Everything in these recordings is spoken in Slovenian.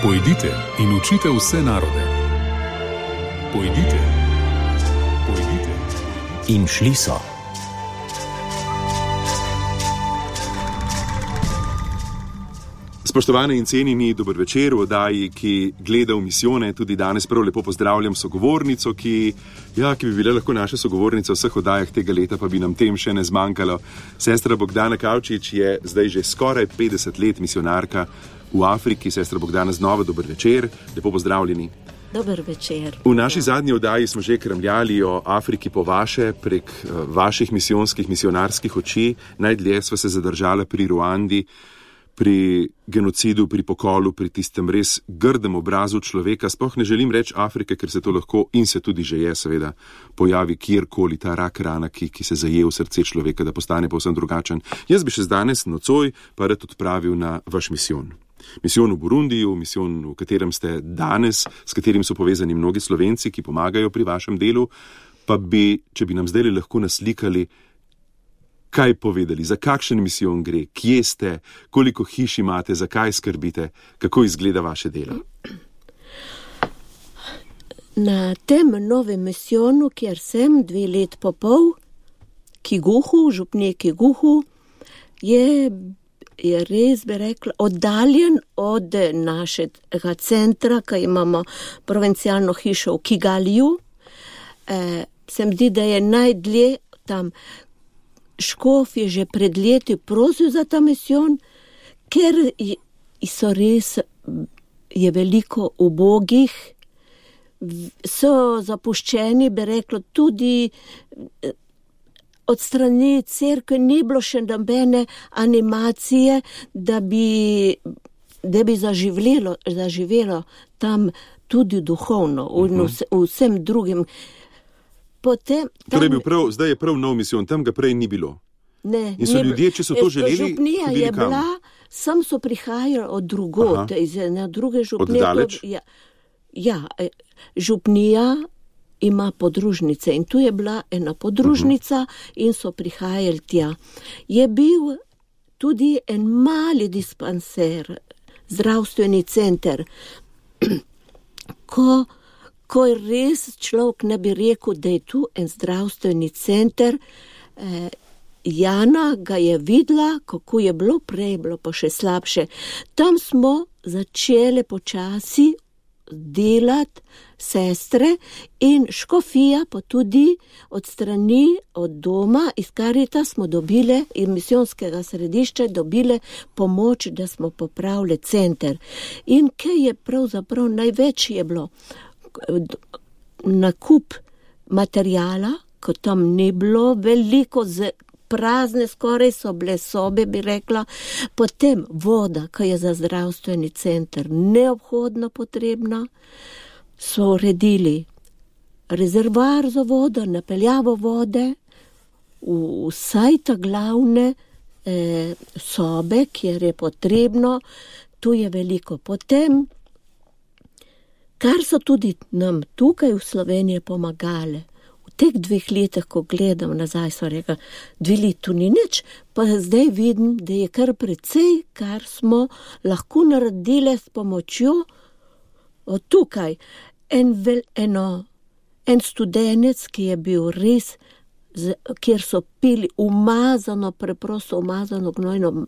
Pojdite in učite vse narode. Pojdite. Pojdite. In šli so. Spoštovane in cenjeni, dober večer v oddaji, ki gleda v misijone. Tudi danes prav lepo pozdravljam sogovornico, ki bi bila lahko naša sogovornica v vseh oddajah tega leta, pa bi nam tem še ne zmanjkalo. Sestra Bogdana Kavčič je zdaj že skoraj 50 let misionarka v Afriki. Sestra Bogdana, znova dober večer, lepo pozdravljeni. Dober večer. V naši zadnji oddaji smo že kramljali o Afriki po vaše, prek vaših misijonskih, misionarskih oči. Najdlje sva se zadržala pri Ruandi, pri genocidu, pri pokolu, pri tistem res grdem obrazu človeka. Sploh ne želim reči Afrike, ker se to lahko in se tudi že je, seveda, pojavi kjerkoli ta rak rana, ki se zaje v srce človeka, da postane povsem drugačen. Jaz bi še danes nocoj pa rad odpravil na vaš misijon. Misijon v Burundiju, misijon, v katerem ste danes, s katerim so povezani mnogi Slovenci, ki pomagajo pri vašem delu, pa bi, če bi nam zdaj lahko naslikali, kaj povedali, za kakšen misijon gre, kje ste, koliko hiš imate, zakaj skrbite, kako izgleda vaše delo? Na tem novem misijonu, kjer sem 2 let pa pol, Kiguhu, župnije Kiguhu, je res, bi rekla, oddaljen od našega centra, ki imamo provincialno hišo v Kigaliju. Se mi zdi, da je najdlje tam. Škof je že pred leti prosil za ta misijon, ker so res, je veliko ubogih, so zapuščeni, bi rekla, tudi od strani cerkve ni bilo še nobene animacije, da bi zaživelo tam tudi duhovno, vsem drugim. Zdaj je prav nov misijon, tam ga prej ni bilo. Ne, in so ljudje, če so to želeli, župnija je bila, sam so prihajali od drugod, na druge župnije. Od daleč? Župnija ima podružnice in tu je bila ena podružnica in so prihajali tja. Je bil tudi en mali dispanser, zdravstveni center, ko res človek ne bi rekel, da je tu en zdravstveni center. Jana ga je videla, kako je bilo prej, bilo pa še slabše. Tam smo začeli počasi delati sestre in škofija, pa tudi od strani, od doma, iz Karita smo dobile, iz misijonskega središča dobile pomoč, da smo popravili center. In kaj je pravzaprav največ je bilo? Nakup materijala, ko tam ni bilo veliko, prazne skoraj so bile sobe, bi rekla, potem voda, ki je za zdravstveni center neobhodno potrebna, so uredili rezervoar za vodo, napeljavo vode, vsaj ta glavne sobe, kjer je potrebno, tu je veliko. Potem, kar so tudi nam tukaj v Sloveniji pomagali, v teh 2 letih, ko gledam nazaj, so rekla, 2 leti tu ni nič, pa zdaj vidim, da je kar precej, kar smo lahko naredili s pomočjo od tukaj. En studenec, ki je bil res, kjer so pili preprosto umazano gnojno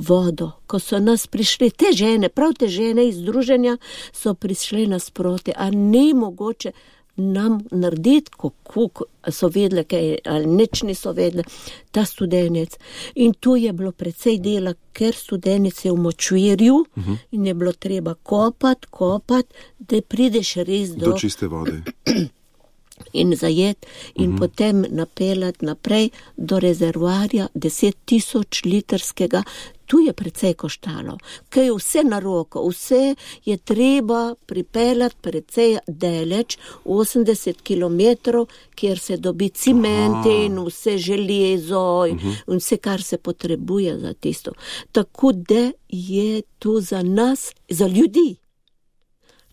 vodo. Ko so nas prišli te žene, prav te žene iz združenja, so prišli nasproti, a ni mogoče nam narediti, kako so vedle, ali nič niso vedle, ta studenec. In tu je bilo precej dela, ker studenec je v močvirju in je bilo treba kopati, da prideš res do čiste vode. In zajet in potem napeljati naprej do rezervoarja 10,000 litrskega. Tu je precej koštalo, kaj je vse na roko, vse je treba pripeljati precej daleč, 80 kilometrov, kjer se dobi ciment in vse železo in vse, kar se potrebuje za tisto. Tako da je tu za nas, za ljudi.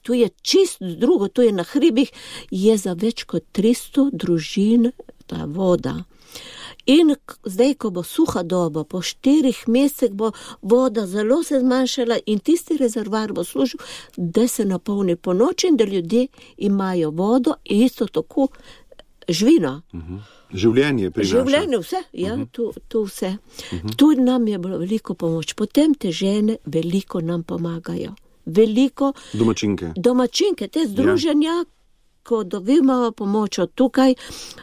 Tu je čisto drugo, tu je na hribih, je za več kot 300 družin ta voda. In zdaj, ko bo suha doba, po 4 mesecih bo voda zelo se zmanjšala in tisti rezervoar bo služil, da se napolni po noči in da ljudje imajo vodo in isto tako živino. Življenje prinaša. Življenje, vse, ja, to vse. Tudi nam je bilo veliko pomoč. Potem te žene veliko nam pomagajo. Veliko domačinke, te združenja, ko dobimo pomoč od tukaj,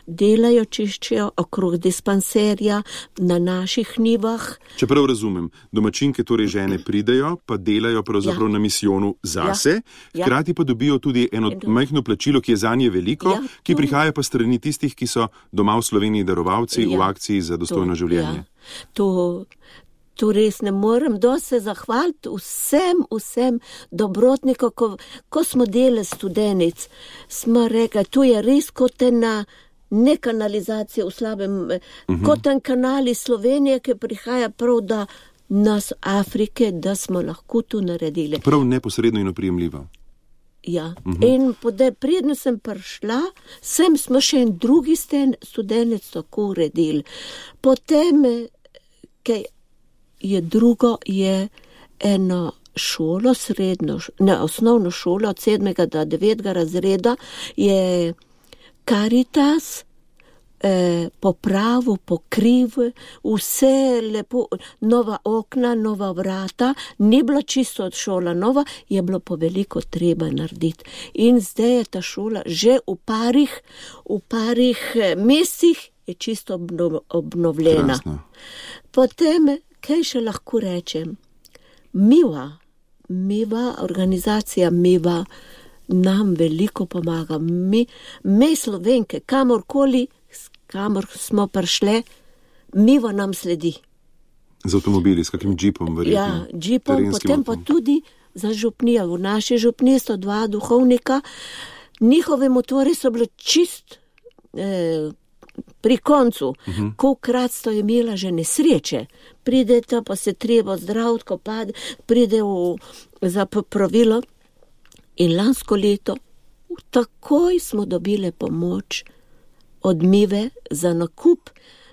delajo, čiščijo okrog dispanserja na naših njivah. Čeprav razumem, domačinke torej žene pridejo, pa delajo pravzaprav na misijonu zase, hkrati pa dobijo tudi eno majhno plačilo, ki je zanje veliko, ki prihaja pa strani tistih, ki so doma v Sloveniji darovalci v akciji za dostojno življenje. Tu res ne morem dosti zahvaliti vsem dobrotnikom, ko smo delali studenic, smo rekli, tu je res kot ena ne kanalizacija v slabem, kot en kanal iz Slovenije, ki prihaja prav da nas Afrike, da smo lahko tu naredili. Prav neposredno in oprijemljivo. Ja, in predno sem prišla, smo še en drugi studenec tako uredili. Potem, kaj je eno šolo, osnovno šolo od 7. do 9. razreda je Caritas popravil, pokril, vse lepo, nova okna, nova vrata, ni bila čisto od šola nova, je bilo pa veliko treba narediti. In zdaj je ta šola že v parih mesecih je čisto obnovljena. Krasno. Potem, kaj še lahko rečem? Miva, organizacija Miva nam veliko pomaga. Mi Slovenke, kamor smo prišle, Miva nam sledi. Z avtomobili, s kakim džipom verjetno? Ja, džipom, potem pa tudi za župnijo. V naši župniji so 2 duhovnika, njihovi motori so bili čist pri koncu, kolikrat sto imela že nesreče, prideta pa se treba zdraviti, ko pride za popravilo in lansko leto takoj smo dobile pomoč od Mive za nakup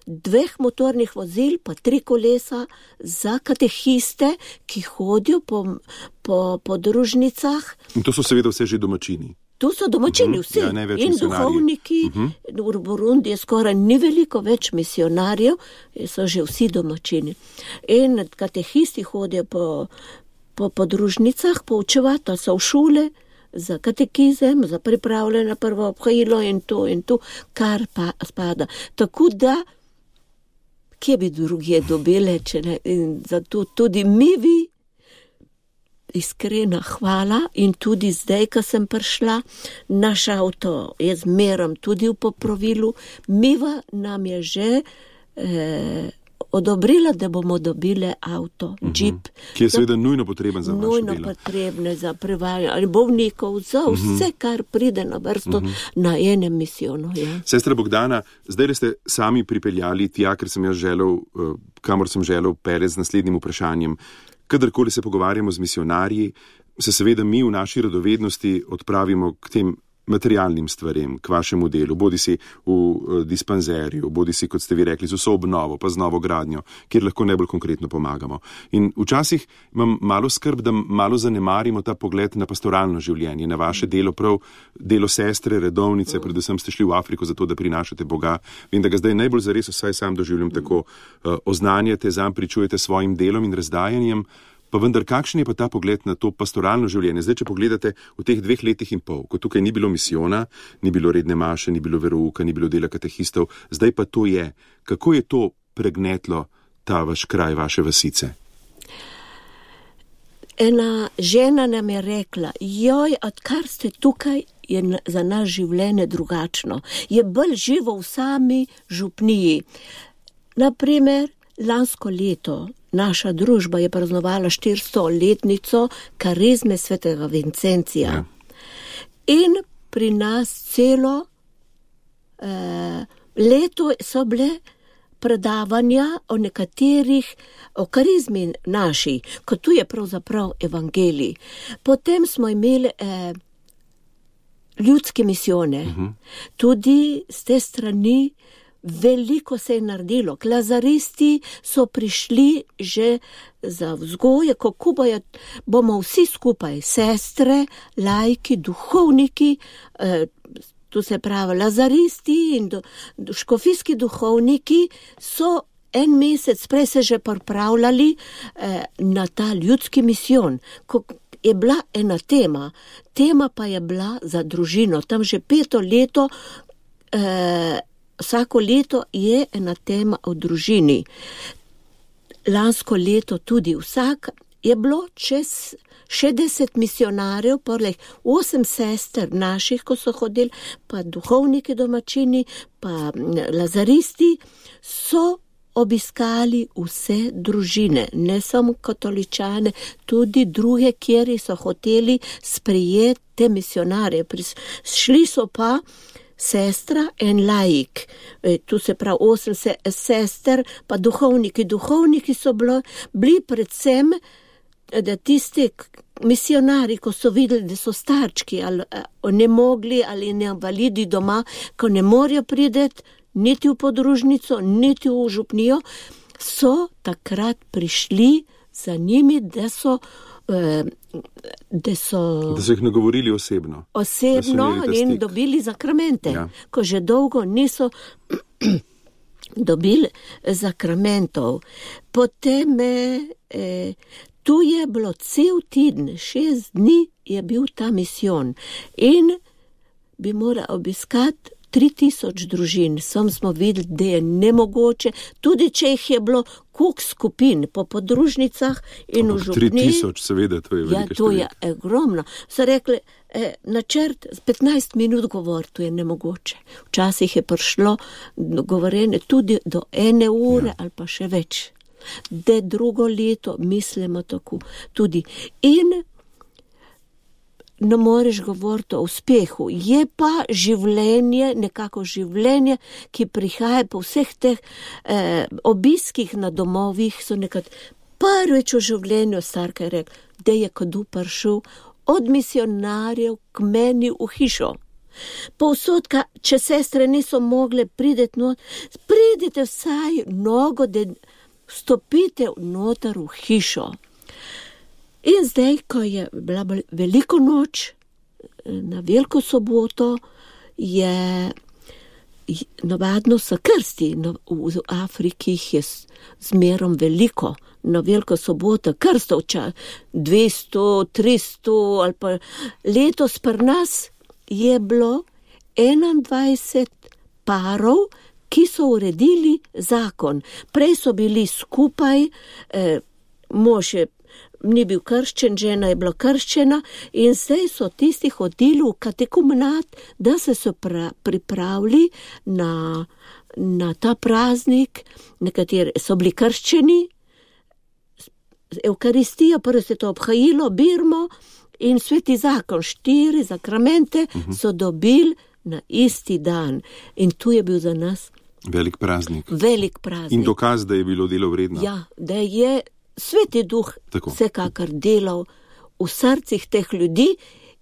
2 motornih vozil, pa 3 kolesa za katehiste, ki hodijo po podružnicah. In to so seveda vse že domačini. Tu so domačini vsi, in duhovniki, v Burundi je skoraj ni veliko več misionarjev, so že vsi domačini. In katehisti hodijo po podružnicah, poučevati, so v šole za katekizem, za pripravljanje na prvo obhajilo in to, kar pa spada. Tako da, kje bi druge dobile, če ne, in zato tudi Mivi, iskrena hvala in tudi zdaj, ko sem prišla, naš avto je zmerom tudi v popravilu. Miva nam je že odobrila, da bomo dobile avto, džip. Ki je seveda nujno potreben za vaše delo. Nujno potrebne za prevajanje bolnikov, za vse, kar pride na vrsto na enem misijonu. Ja. Sestra Bogdana, zdaj ste sami pripeljali tja, ker sem jaz želel, kamor sem želel peljati z naslednjim vprašanjem. Kadarkoli se pogovarjamo z misionarji, se seveda mi v naši radovednosti odpravimo k tem materialnim stvarem, k vašemu delu, bodi si v dispanzerju, bodi si, kot ste vi rekli, z vso obnovo, pa z novo gradnjo, kjer lahko najbolj konkretno pomagamo. In včasih imam malo skrb, da malo zanemarimo ta pogled na pastoralno življenje, na vaše delo, prav delo sestre, redovnice, predvsem ste šli v Afriko zato, da prinašate Boga. Vem, da ga zdaj najbolj zares, vsaj sam doživljam tako, oznanjate, zanj pričujete svojim delom in razdajanjem. Pa vendar, kakšen je pa ta pogled na to pastoralno življenje? Zdaj, če pogledate v teh 2 letih in pol, ko tukaj ni bilo misijona, ni bilo redne maše, ni bilo verouka, ni bilo dela katehistov, zdaj pa to je. Kako je to pregnetlo ta vaš kraj, vaše vasice? Ena žena nam je rekla, odkar ste tukaj, je za nas življenje drugačno. Je bolj živo v sami župniji. Naprimer, lansko leto naša družba je praznovala 400-letnico karizme svetega Vincencija. Ja. In pri nas celo leto so bile predavanja o nekaterih, o karizmi naši, kot tu je pravzaprav evangelij. Potem smo imeli ljudske misijone. Tudi z te strani veliko se je naredilo. Lazaristi so prišli že za vzgoje, kako bomo vsi skupaj, sestre, laiki, duhovniki, tu se pravi lazaristi in škofijski duhovniki so en mesec prej se že pripravljali na ta ljudski misijon, ko je bila ena tema pa je bila za družino. Tam že 5. leto, vsako leto je ena tema o družini. Lansko leto tudi vsak je bilo čez 60 misionarjev, poleg 8 sester naših, ko so hodili, pa duhovniki domačini, pa lazaristi, so obiskali vse družine, ne samo katoličane, tudi druge, kjer so hoteli sprejeti te misionarje. Šli so pa sestra en laik, tu se pravi 8 sester, pa duhovniki. Duhovniki so bili predvsem, da tisti misionari, ko so videli, da so starčki ali ne mogli ali invalidi doma, ko ne morajo priti niti v podružnico, niti v župnijo, so takrat prišli za njimi, da so jih nagovorili osebno. In dobili zakramente, ko že dolgo niso dobili zakramentov. Potem tu je bilo cel teden, 6 dni je bil ta misijon in bi moral obiskati 3000 družin. Sam smo videli, da je nemogoče, tudi če jih je bilo koliko skupin po podružnicah in v župni. 3000, seveda, to je velika številka. To je ogromno. So rekli, načrt 15 minut govor, to je nemogoče. Včasih je prišlo govorenje tudi do 1 ure ali pa še več. Da drugo leto mislimo tako tudi. In ne moreš govoriti o uspehu. Je pa življenje, nekako življenje, ki prihaja po vseh teh obiskih na domovih, so nekaj prvič v življenju starka je rekel, da je kdo prišel od misionarjev k meni v hišo. Povsodka, če sestre niso mogle prideti not, pridite vsaj nogo, da vstopite noter v hišo. In zdaj, ko je bila veliko noč, na veliko soboto, je navadno so krsti. V Afriki jih je zmerom veliko. Na veliko soboto krstov, 200, 300 ali pa letos pri nas je bilo 21 parov, ki so uredili zakon. Prej so bili skupaj, mož ni bil krščen, žena je bila krščena in zdaj so tisti hodili v katekumenat, da se so pripravili na ta praznik. Nekateri so bili krščeni, Evkaristija, prvo se to obhajilo, birmo in sveti zakon, 4 zakramente so dobili na isti dan. In tu je bil za nas velik praznik. In dokaz, da je bilo delo vredno. Ja, da je Sveti duh vsekakor delal v srcih teh ljudi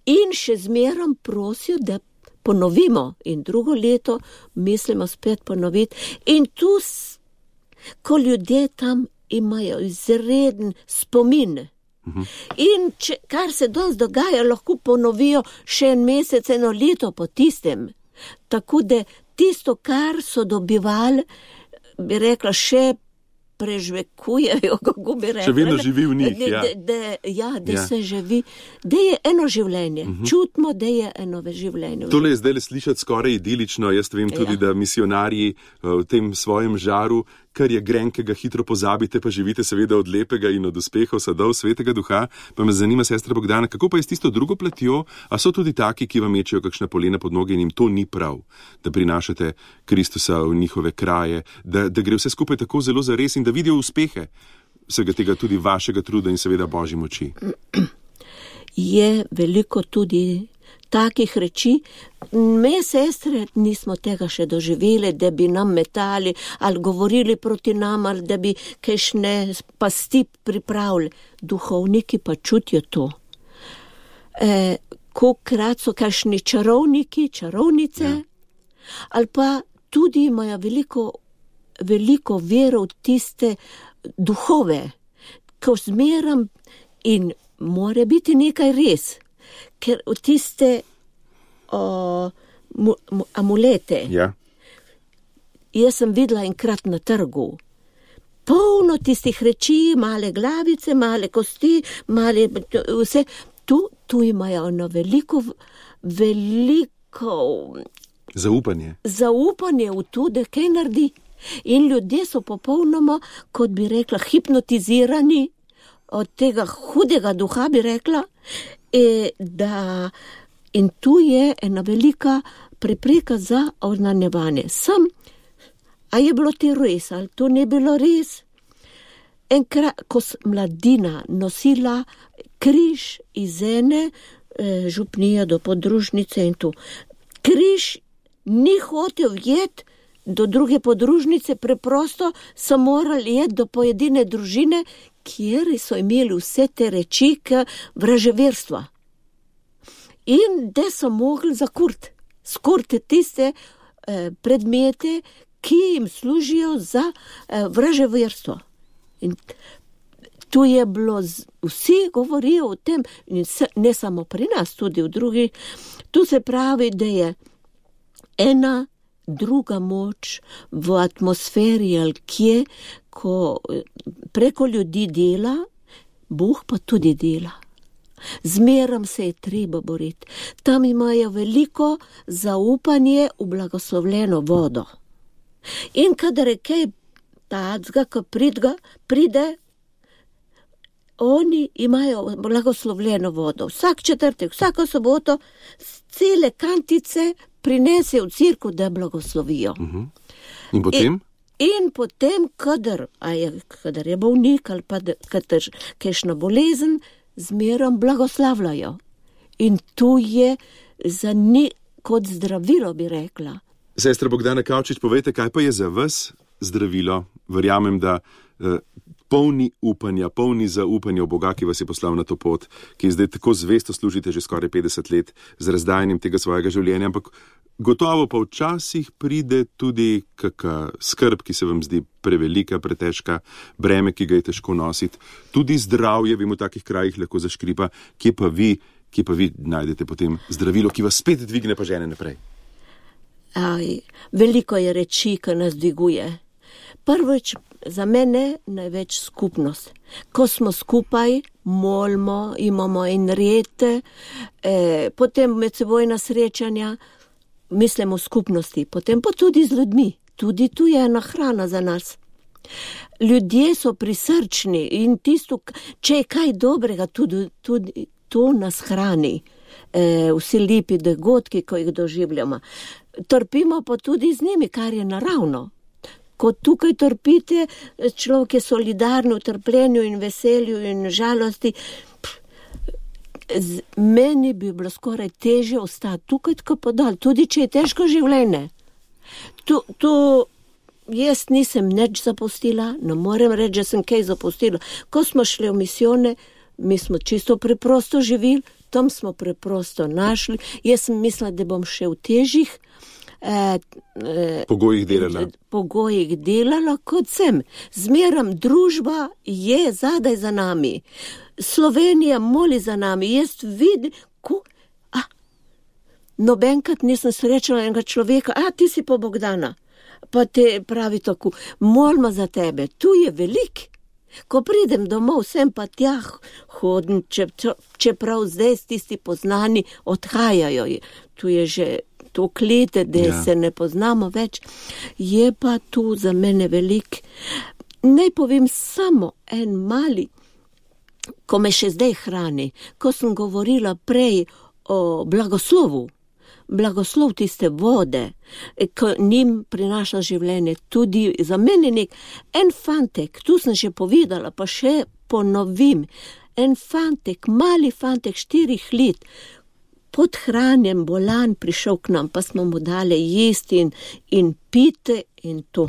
in še zmerom prosil, da ponovimo. In drugo leto mislimo spet ponoviti. In tu, ko ljudje tam imajo izreden spomin. In kar se danes dogaja, lahko ponovijo še en mesec, 1 leto po tistem. Tako da tisto, kar so dobivali, bi rekla, še prežvekujejo, kako bi rekla. Še vedno živi v njih, se živi, da je eno življenje. Čutimo, da je eno življenje. Tole je zdaj slišati skoraj idilično. Jaz vem tudi, da misionarji v tem svojem žaru, kar je grenkega, hitro pozabite, pa živite seveda od lepega in od uspehov sadov Svetega Duha. Pa me zanima, sestra Bogdana, kako pa je s tisto drugo platjo? A so tudi taki, ki vam mečejo kakšna polena pod noge in jim to ni prav, da prinašate Kristusa v njihove kraje, da gre vse skupaj tako zelo zares in da vidijo uspehe vsega tega tudi vašega truda in seveda Božji moči? Je veliko tudi takih reči. Me, sestre, nismo tega še doživeli, da bi nam metali ali govorili proti nam, ali da bi kakšne pasti pripravili. Duhovniki pa čutijo to. Kolikrat so kakšni čarovniki, čarovnice, ali pa tudi imajo veliko vero v tiste duhove, ko zmeram in mora biti nekaj res, ker v tiste amulete. Ja. Jaz sem videla enkrat na trgu, polno tistih reči, male glavice, male kosti, male vse. Tu imajo na veliko zaupanje v to, da kaj naredi. In ljudje so popolnoma, kot bi rekla, hipnotizirani od tega hudega duha, bi rekla, in tu je ena velika prepreka za oznanjevanje. A je bilo ti res, ali to ne bilo res? Enkrat, ko sem mladina nosila križ iz ene župnije do podružnice in tu. Križ ni hotel jeti do druge podružnice, preprosto so morali jeti do pojedine družine, kjer so imeli vse te reči vraževerstva. In da so mogli skurti tiste predmete, ki jim služijo za vraževerstvo. In tu je bilo, vsi govorijo o tem, ne samo pri nas, tudi v drugih. Tu se pravi, da je ena druga moč v atmosferi ali kje, ko preko ljudi dela, Bog pa tudi dela. Zmeram se je treba boriti. Tam imajo veliko zaupanje v blagoslovljeno vodo. In kadar je kaj tacga, ko pride, oni imajo blagoslovljeno vodo. Vsak četrtek, vsako soboto, cele kantice prinese v cirku, da blagoslovijo. In potem? In potem, kadar je bolnik ali pa kadar kakšna bolezen, zmerom blagoslavljajo. In tu je za njih kot zdravilo, bi rekla. Sestra Bogdana Kavčič, povejte, kaj pa je za vas zdravilo? Verjamem, da polni upanja, polni zaupanja v Boga, ki vas je poslal na to pot, ki zdaj tako zvesto služite že skoraj 50 let z razdajanjem tega svojega življenja, ampak gotovo pa včasih pride tudi kakšna skrb, ki se vam zdi prevelika, pretežka, breme, ki ga je težko nositi. Tudi zdravje, vem, v takih krajih lahko zaškripa. Kje pa vi najdete potem zdravilo, ki vas spet dvigne pa žene naprej? Veliko je reči, ki nas dviguje. Prvič, za mene največ skupnost. Ko smo skupaj, molimo, imamo in red, potem medsebojna srečanja, mislimo v skupnosti, potem pa tudi z ljudmi. Tudi tu je ena hrana za nas. Ljudje so prisrčni in tisto, če je kaj dobrega, tudi to nas hrani. Vsi lepi dogodki, ko jih doživljamo. Trpimo pa tudi z njimi, kar je naravno. Ko tukaj trpite, človek je solidarno v trpljenju in veselju in žalosti. Meni bi bilo skoraj težje ostati tukaj, tako podal, tudi če je težko življenje. Tu jaz nisem nič zapustila, ne morem reči, da sem kaj zapustila. Ko smo šli v misijone, mi smo čisto preprosto živeli, tam smo preprosto našli. Jaz sem mislila, da bom še v težjih pogojih delala, kot sem. Zmeram družba je zadaj za nami. Slovenija moli za nami. Jaz vidim, nobenkrat nisem srečala enega človeka, ti si pa Bogdana. Pa te pravi tako, molimo za tebe. Tu je velik. Ko pridem domov, sem pa tja hodim, čeprav zdaj tisti poznani odhajajo. Tu je že toliko let, da se ne poznamo več. Je pa tu za mene velik. Naj povem samo en mali, ko me še zdaj hrani, ko sem govorila prej o blagoslovu. Blagoslov tiste vode, ko njim prinaša življenje, tudi za mene en fantek, tu sem že povedala, pa še ponovim, en fantek, mali fantek 4 let, podhranjen, bolan, prišel k nam, pa smo mu dali jesti in pite in to.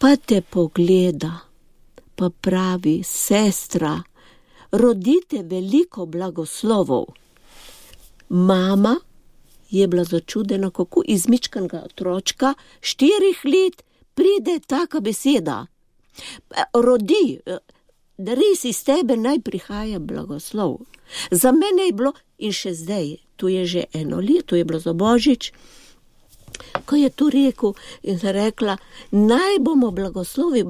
Pa te pogleda, pa pravi, sestra, rodite veliko blagoslovov. Mama je bila začudena, kako izmičkanega otročka 4 let pride taka beseda. Rodi, da res iz tebe naj prihaja blagoslov. Za mene je bilo, in še zdaj, tu je že 1 leto, je bilo za Božič, ko je to rekel in se rekla, naj bomo blagoslovi,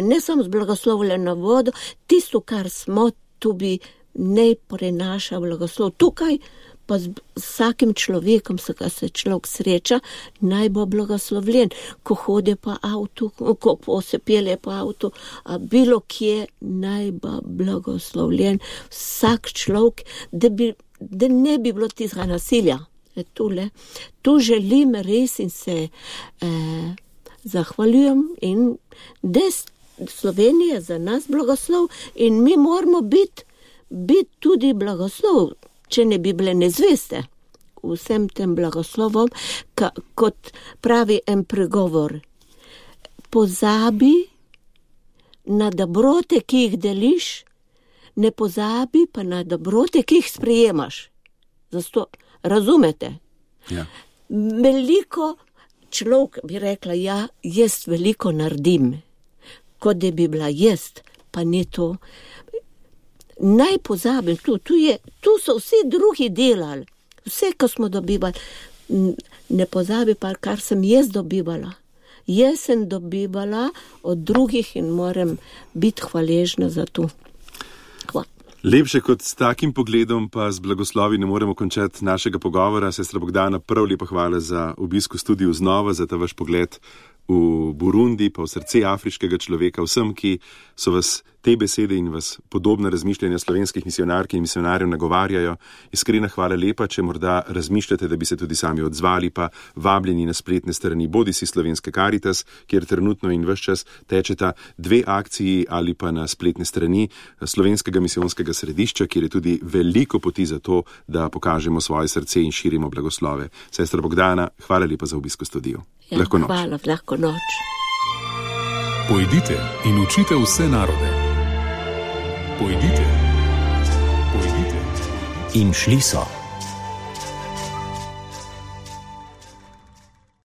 ne samo z blagoslovljeno vodo, tisto, kar smo, tu bi ne prenaša blagoslov. Tukaj pa z vsakim človekom, se človek sreča, naj bo blagoslovljen, ko hodi po avtu, ko se pelje po avtu, a bilo kje naj bo blagoslovljen vsak človek, da ne bi bilo tistega nasilja. Tu želim res in se zahvaljujem in da Slovenija za nas blagoslov in mi moramo biti tudi blagoslov, če ne bi bile nezveste vsem tem blagoslovom, kot pravi en pregovor. Pozabi na dobrote, ki jih deliš, ne pozabi pa na dobrote, ki jih sprejemaš. Zato razumete? Ja. Veliko človek bi rekla, ja, jaz veliko naredim, kot da bi bila jaz, pa ni to. Naj pozabim, tu so vsi drugi delali, vse, ko smo dobivali. Ne pozabi pa, kar sem jaz dobivala. Jaz sem dobivala od drugih in moram biti hvaležna za to. Hvala. Lepše kot s takim pogledom pa z blagoslovi ne moremo končati našega pogovora. Sestra Bogdana, prav lepo hvala za obisk v studiu znova, za ta vaš pogled v Burundi, pa v srce afriškega človeka, vsem, ki so vas te besede in vas podobne razmišljanja slovenskih misionark in misionarjev nagovarjajo. Iskrena hvala lepa, če morda razmišljate, da bi se tudi sami odzvali, pa vabljeni na spletne strani bodisi Slovenske Karitas, kjer trenutno in ves čas tečeta 2 akciji, ali pa na spletne strani Slovenskega misijonskega središča, kjer je tudi veliko poti za to, da pokažemo svoje srce in širimo blagoslove. Sestra Bogdana, hvala lepa za obisk v studiu. Ja, lahko noč. Hvala, lahko noč. Pojdite in učite vse narode. Pojdite. In šli so.